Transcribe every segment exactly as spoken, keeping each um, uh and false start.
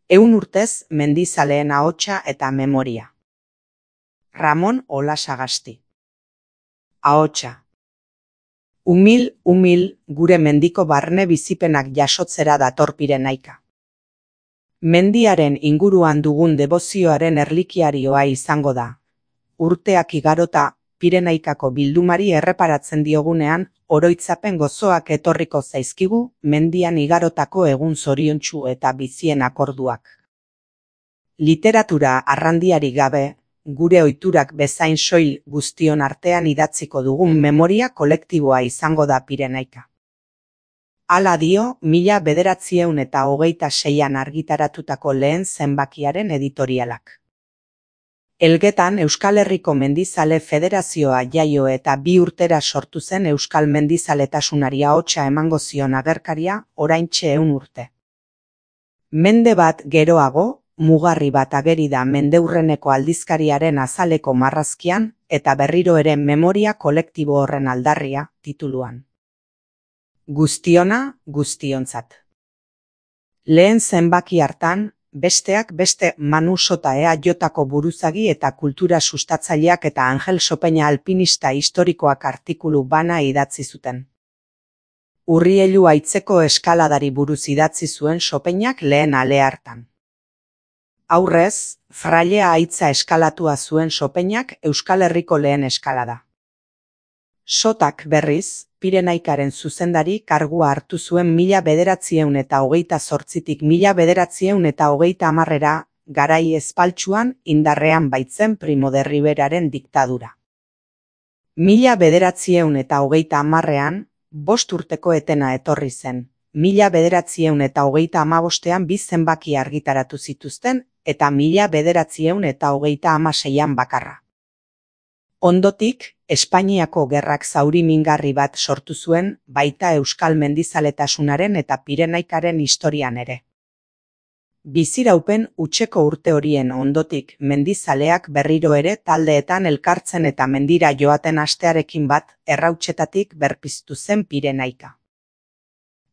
Ehun urtez mendizaleen ahotsa eta memoria. Ramon Olasagasti. Ahotsa. Umil, umil, gure mendiko barne bizipenak jasotzera dator Pirenaika. Mendiaren inguruan dugun debozioaren erlikiarioa izango da. Urteak igarota, Pirenaikako bildumari erreparatzen diogunean, oroitzapen gozoak etorriko zaizkigu, mendian igarotako egun zoriontsu eta bizien akorduak. Literatura arrandiari gabe, gure ohiturak bezain soil guztion artean idatziko dugun memoria kolektiboa izango da Pirenaika. Hala dio, mila bederatziehun eta hogeita seian argitaratutako lehen zenbakiaren editorialak. Elgetan Euskal Herriko Mendizale Federazioa jaio eta bi urtera sortu zen Euskal Mendizaletasunari ahotsa emango zion agerkaria, oraintxe ehun urte. Mende bat geroago, mugarri bat ageri da mendeurreneko aldizkariaren azaleko marrazkian, eta berriro ere memoria kolektibo horren aldarria, tituluan. Guztiona, guztiontzat. Lehen zenbaki hartan, besteak beste Manu Sota ea jotako buruzagi eta kultura sustatzaileak eta Angel Sopeña alpinista historikoak artikulu bana idatzi zuten. Urrielu aitzeko eskaladari buruz idatzi zuen Sopeñak lehen ale hartan. Aurrez, Frailea aitza eskalatua zuen Sopeñak Euskal Herriko lehen eskalada. Sotak berriz, Pirenaikaren zuzendari kargua hartu zuen mila bederatziehun eta hogeita zortzitik mila bederatziehun eta hogeita hamarrera, garai espaltsuan indarrean baitzen Primo de Riveraren diktadura. Mila bederatziehun eta hogeita hamarrean, bost urteko etena etorri zen, mila bederatziehun eta hogeita hamabostean bi zenbaki argitaratu zituzten, eta mila bederatziehun eta hogeita hamaseian bakarra. Ondotik, Espainiako gerrak zauri mingarri bat sortu zuen, baita Euskal Mendizaletasunaren eta Pirenaikaren historian ere. Biziraupen hutseko urte horien ondotik mendizaleak berriro ere taldeetan elkartzen eta mendira joaten hastearekin bat errautsetatik berpiztu zen Pirenaika.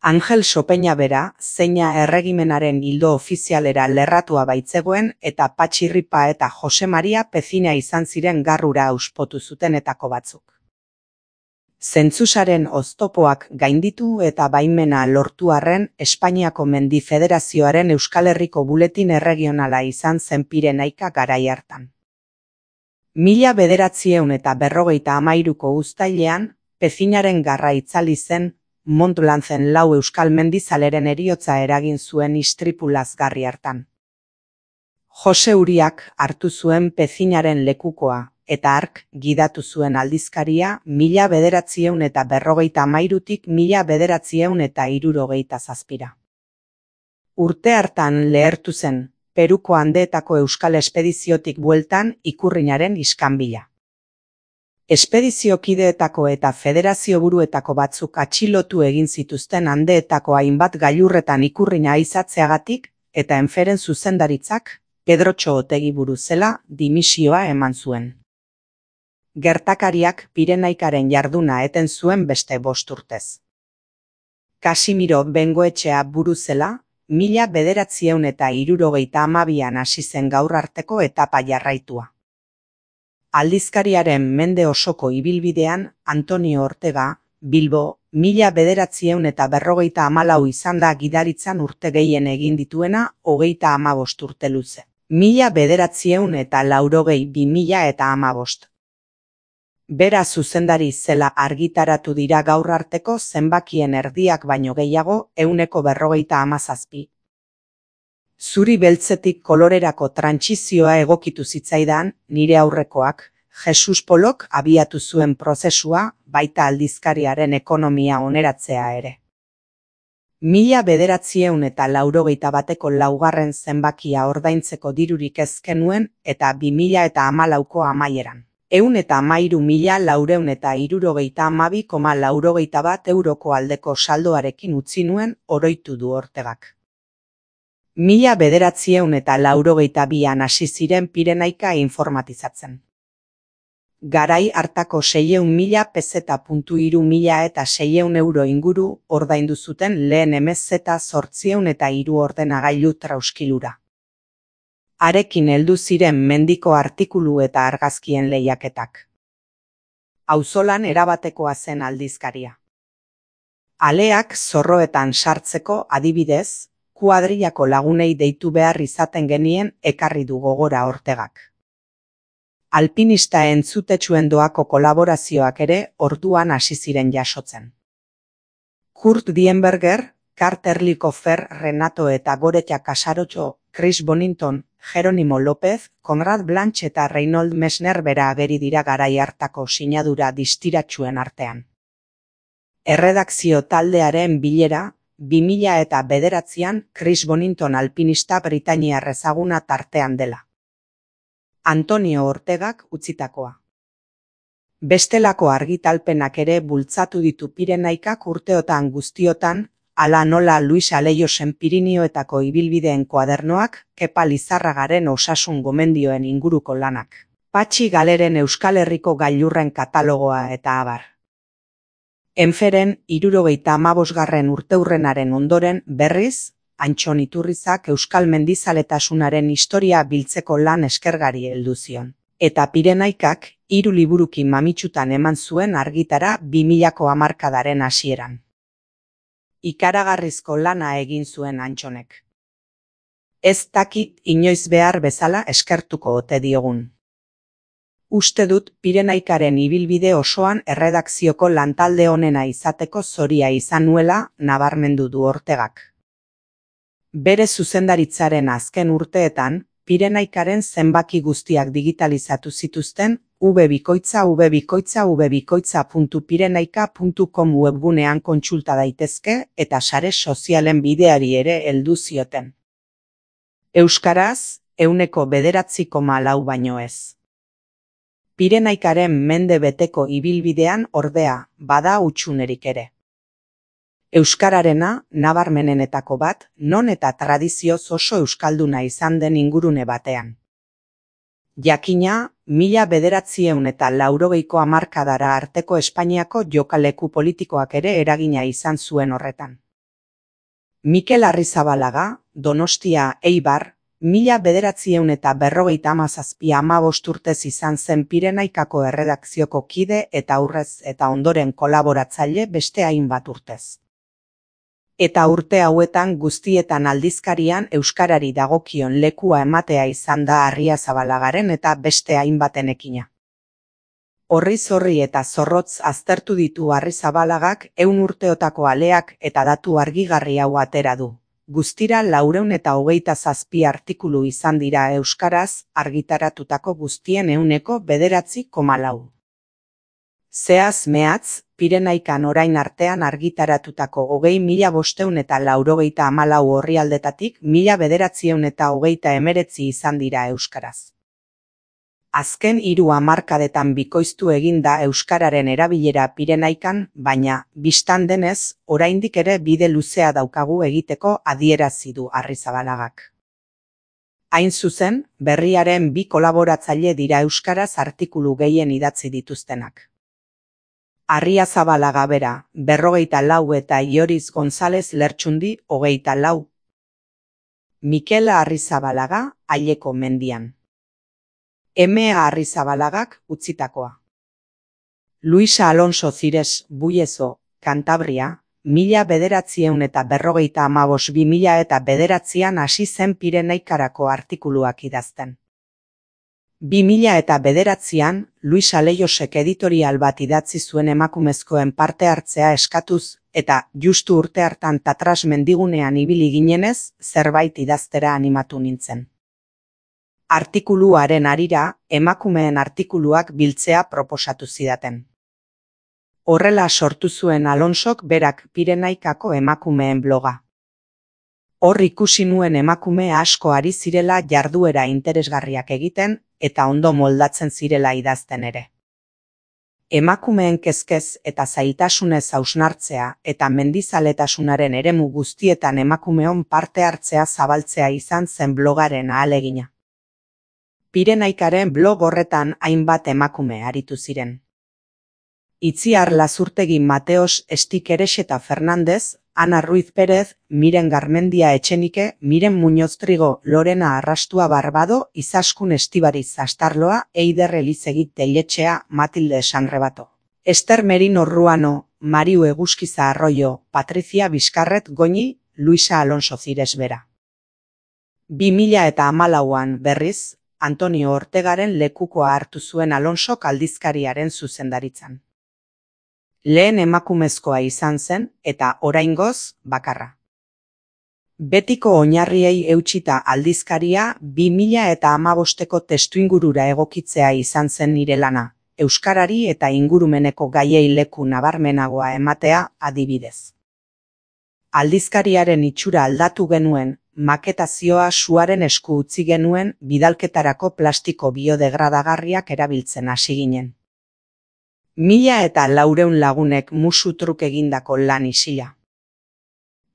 Angel Sopeña bera, zeina erregimenaren hildo ofizialera lerratua baitzegoen eta Patxirripa eta Jose Maria Pezina izan ziren garrura auspotu zutenetako batzuk. Zentzusaren oztopoak gainditu eta baimena lortu arren Espainiako Mendi Federazioaren Euskal Herriko buletin erregionala izan zen Pirenaika garai hartan. Mila bederatziehun eta berrogeita hamairuko uztailean, Pezinaren garra itzali zen, Montlanzen lau Euskal Mendizaleren heriotza eragin zuen istripu lazgarri hartan. Jose Uriak hartu zuen Pezinaren lekukoa, eta hark gidatu zuen aldizkaria mila bederatziehun eta berrogeita hamairutik mila bederatziehun eta hirurogeita zazpira. Urte hartan lehertu zen, Peruko Andeetako Euskal Espediziotik bueltan Ikurrinaren iskanbila. Espediziokideetako eta federazio buruetako batzuk atxilotu egin zituzten Andeetako hainbat gailurretan Ikurrina izatzeagatik, eta Enferen zuzendaritzak, Pedrotxo Otegi buruzela, dimisioa eman zuen. Gertakariak Pirenaikaren jarduna eten zuen beste bost urtez. Kasimiro Bengoetxea buruzela, mila bederatziehun eta hirurogeita hamabian hasi zen gaur arteko etapa jarraitua. Aldizkariaren mende osoko ibilbidean, Antonio Ortega, Bilbo, mila bederatziehun eta berrogeita hamalau izan da gidaritzan urte gehien egin dituena, hogeita hamabost urte luze. Mila bederatziehun eta laurogei bi mila eta hamabost. Bera zuzendari zela argitaratu dira gaur arteko zenbakien erdiak baino gehiago, ehuneko berrogeita hamazazpi. Zuri beltzetik kolorerako trantsizioa egokitu zitzaidan, nire aurrekoak, Jesus Polok abiatu zuen prozesua, baita aldizkariaren ekonomia oneratzea ere. Mila bederatziehun eta laurogeita bateko laugarren zenbakia ordaintzeko dirurik ez genuen eta bi mila eta hamalauko amaieran. Ehun eta hamairu mila laurehun eta hirurogeita hamabi koma laurogeita bat euroko aldeko saldoarekin utzi nuen, oroitu du Ortegak. Mila bederatziehun eta laurogeita bian hasi ziren Pirenaika informatizatzen. Garai hartako seiehun mila peseta puntu hiru mila eta seiehun euro inguru ordaindu zuten lehen M Z zortziehun eta hiru ordenagailu trauskilura. Harekin heldu ziren mendiko artikulu eta argazkien lehiaketak. Auzolan erabatekoa zen aldizkaria. Aleak zorroetan sartzeko adibidez, kuadrillako lagunei deitu behar izaten genien ekarri du gogora Ortegak. Alpinista entzutetsuen doako kolaborazioak ere orduan hasi ziren jasotzen. Kurt Dienberger, Carter Likofer, Renato eta Goretia Casarotxo, Chris Bonington, Jeronimo López, Conrad Blanch eta Reynold Messner bera ageri dira garai hartako sinadura distiratsuen artean. Erredakzio taldearen bilera, bi mila eta bederatzian Chris Bonington alpinista britainiar ezaguna tartean dela. Antonio Ortegak utzitakoa. Bestelako argitalpenak ere bultzatu ditu Pirenaikak urteotan guztiotan, ala nola Luis Aleiosen Pirinioetako ibilbideen koadernoak, Kepa Lizarragaren osasun gomendioen inguruko lanak, Patxi Galeren Euskal Herriko gailurren katalogoa eta abar. Enferen hirurogeita hamabosgarren urteurrenaren ondoren berriz, Antxon Iturrizak euskal mendizaletasunaren historia biltzeko lan eskergari heldu zion. Eta Pirenaikak hiru liburuki mamitsutan eman zuen argitara bi milako hamarkadaren hasieran. Ikaragarrizko lana egin zuen Antxonek. Ez dakit inoiz behar bezala eskertuko ote diogun. Uste dut Pirenaikaren ibilbide osoan erredakzioko lantalde honena izateko zoria izan nuela nabarmendu du Ortegak. Bere zuzendaritzaren azken urteetan, Pirenaikaren zenbaki guztiak digitalizatu zituzten www www puntu pirenaika puntu com webgunean kontsulta daitezke eta sare sozialen bideari ere heldu zioten. Euskaraz, ehuneko bederatzi koma lau baino ez. Pirenaikaren mende beteko ibilbidean ordea, bada hutsunerik ere. Euskararena, nabarmenenetako bat, non eta tradizioz oso euskalduna izan den ingurune batean. Jakina, mila bederatzieun eta laurogeiko hamarkadara arteko Espainiako jokaleku politikoak ere eragina izan zuen horretan. Mikel Arrizabalaga, Donostia, Eibar, mila bederatzieun eta berrogeita hamazazpi hamabost urtez izan zen Pirenaikako erredakzioko kide eta aurrez eta ondoren kolaboratzaile beste hainbat urtez. Eta urte hauetan guztietan aldizkarian euskarari dagokion lekua ematea izan da Arriazabalagaren eta beste hainbatenekina. Horriz horri eta zorrotz aztertu ditu Arrizabalagak ehun urteotako aleak eta datu argigarri hau atera du. Guztira laurehun eta hogeita zazpi artikulu izan dira euskaraz argitaratutako guztien ehuneko bederatzi koma lau. Zeaz mehatz, Pirenaikan orain artean argitaratutako hogei mila bostehun eta laurogeita hamalau orrialdetatik mila bederatzieun eta hogeita hemeretzi izan dira euskaraz. Azken hiru hamarkadetan bikoiztu egin da euskararen erabilera Pirenaikan, baina, bistan denez, oraindik ere bide luzea daukagu egiteko adierazi du Arrizabalagak. Hain zuzen, berriaren bi kolaboratzaile dira euskaraz artikulu gehien idatzi dituztenak. Arriazabalaga bera, berrogeita lau eta Ioriz González Lertxundi, hogeita lau. Mikel Arrizabalaga, Aileko mendian. Emea Arrizabalagak utzitakoa. Luisa Alonso Zires, Buiezo, Kantabria, mila bederatzieun eta berrogeita hamabos bi mila eta bederatzian hasi zen Pirenaikarako artikuluak idazten. Bi mila eta bederatzian, Luis Aleiosek editorial bat idatzi zuen emakumezkoen parte hartzea eskatuz, eta justu urte hartan Tatras mendigunean ibili ginenez, zerbait idaztera animatu nintzen. Artikuluaren harira, emakumeen artikuluak biltzea proposatu zidaten. Horrela sortu zuen Alonsok berak Pirenaikako emakumeen bloga. Hor ikusi nuen emakume asko ari zirela jarduera interesgarriak egiten, eta ondo moldatzen zirela idazten ere. Emakumeen kezkez eta zailtasunez hausnartzea eta mendizaletasunaren eremu guztietan emakumeon parte hartzea zabaltzea izan zen blogaren ahalegina. Pirenaikaren blog horretan hainbat emakume aritu ziren. Itziar Lazurtegi Mateos Estikeres eta Fernandez, Ana Ruiz Pérez, Miren Garmendia Etxenike, Miren Muñoz Trigo, Lorena Arrastua Barbado, Izaskun Estibariz Astarloa, Eider Elizegi Telletxea, Matilde Sanrebato. Ester Merino Ruano, Mariu Eguzkiza Arroyo, Patricia Bizkarret Goñi, Luisa Alonso Zires Bera. bi mila eta hamalauan berriz, Antonio Ortegaren lekukoa hartu zuen Alonsok aldizkariaren zuzendaritzan. Lehen emakumezkoa izan zen eta oraingoz bakarra. Betiko oinarriei eutsita aldizkaria bi mila eta hamabosteko testuingurura egokitzea izan zen nire lana, euskarari eta ingurumeneko gaiei leku nabarmenagoa ematea adibidez. Aldizkariaren itxura aldatu genuen, maketazioa suaren esku utzi genuen, bidalketarako plastiko biodegradagarriak erabiltzen hasi ginen. Mila eta laureun lagunek musu truk egindako lan isila.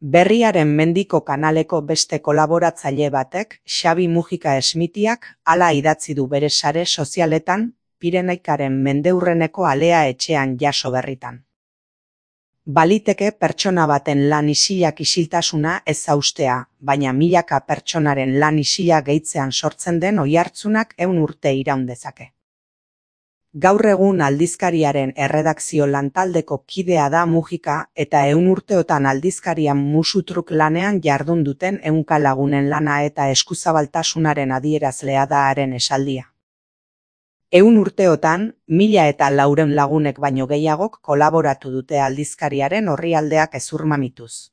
Berriaren Mendiko kanaleko beste kolaboratzaile batek, Xabi Mujika Esmitiak, hala idatzi du bere sare sozialetan, Pirenaikaren mendeurreneko alea etxean jaso berritan. Baliteke pertsona baten lan isilak isiltasuna ez zaustea, baina milaka pertsonaren lan isila gehitzean sortzen den oihartzunak ehun urte iraun dezake. Gaur egun aldizkariaren erredakzio lantaldeko kidea da Mujika eta ehun urteotan aldizkarian musutruk lanean jardun duten ehunka lagunen lana eta eskuzabaltasunaren adierazlea da haren esaldia. Ehun urteotan, mila eta laureun lagunek baino gehiagok kolaboratu dute aldizkariaren orrialdeak ezurmamituz.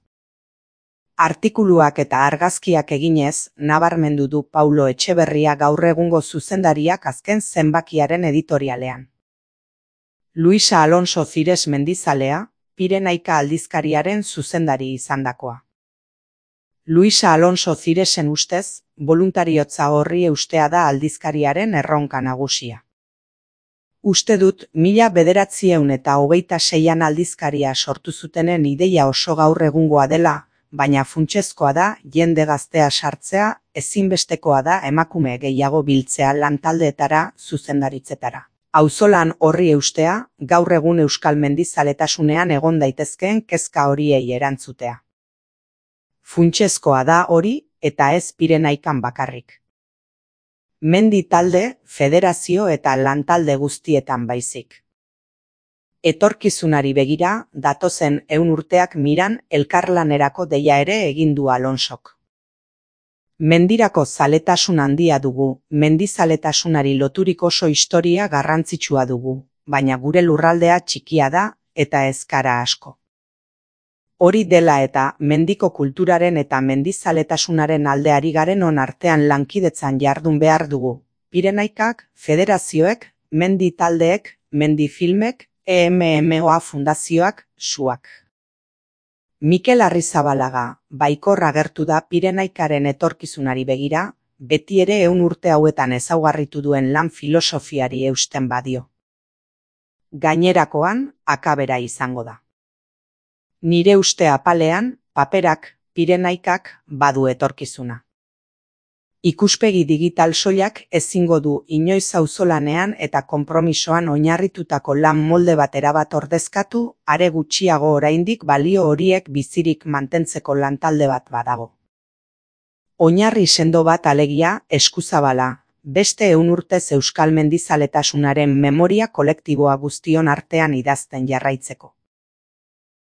Artikuluak eta argazkiak eginez, nabarmendu du Paulo Etxeberria gaur egungo zuzendariak azken zenbakiaren editorialean. Luisa Alonso Zires Mendizalea, Pirenaika aldizkariaren zuzendari izandakoa. Luisa Alonso Ziresen ustez, boluntariotza horri eustea da aldizkariaren erronka nagusia. Uste dut, mila bederatziehun eta hogeita seian aldizkaria sortu zutenen ideia oso gaur egungoa dela, baina funtsezkoa da jende gaztea sartzea, ezinbestekoa da emakume gehiago biltzea lantaldeetara, zuzendaritzetara. Auzolan horri eustea, gaur egun euskal mendizaletasunean egon daitezkeen kezka horiei erantzutea. Funtsezkoa da hori eta ez Pirenaikan bakarrik. Mendi talde, federazio eta lantalde guztietan baizik. Etorkizunari begira, datozen ehun urteak miran elkarlanerako deia ere egin du Alonsok. Mendirako zaletasun handia dugu, mendizaletasunari loturik oso historia garrantzitsua dugu, baina gure lurraldea txikia da eta ez gara asko. Hori dela eta mendiko kulturaren eta mendizaletasunaren aldeari garen on artean lankidetzan jardun behar dugu. Pirenaikak, federazioek, mendi taldeek, mendi filmek, E M M O A fundazioak, suak. Mikel Arrizabalaga, baikor agertu da Pirenaikaren etorkizunari begira, beti ere ehun urte hauetan ezaugarritu duen lan filosofiari eusten badio. Gainerakoan, akabera izango da. Nire uste apalean, paperak, Pirenaikak, badu etorkizuna. Ikuspegi digital soilak ezingo du inoiz auzolanean eta konpromisoan oinarritutako lan molde bat erabat ordezkatu, are gutxiago oraindik balio horiek bizirik mantentzeko lantalde bat badago. Oinarri sendo bat alegia, eskuzabala, beste ehun urtez euskal mendizaletasunaren memoria kolektiboa guztion artean idazten jarraitzeko.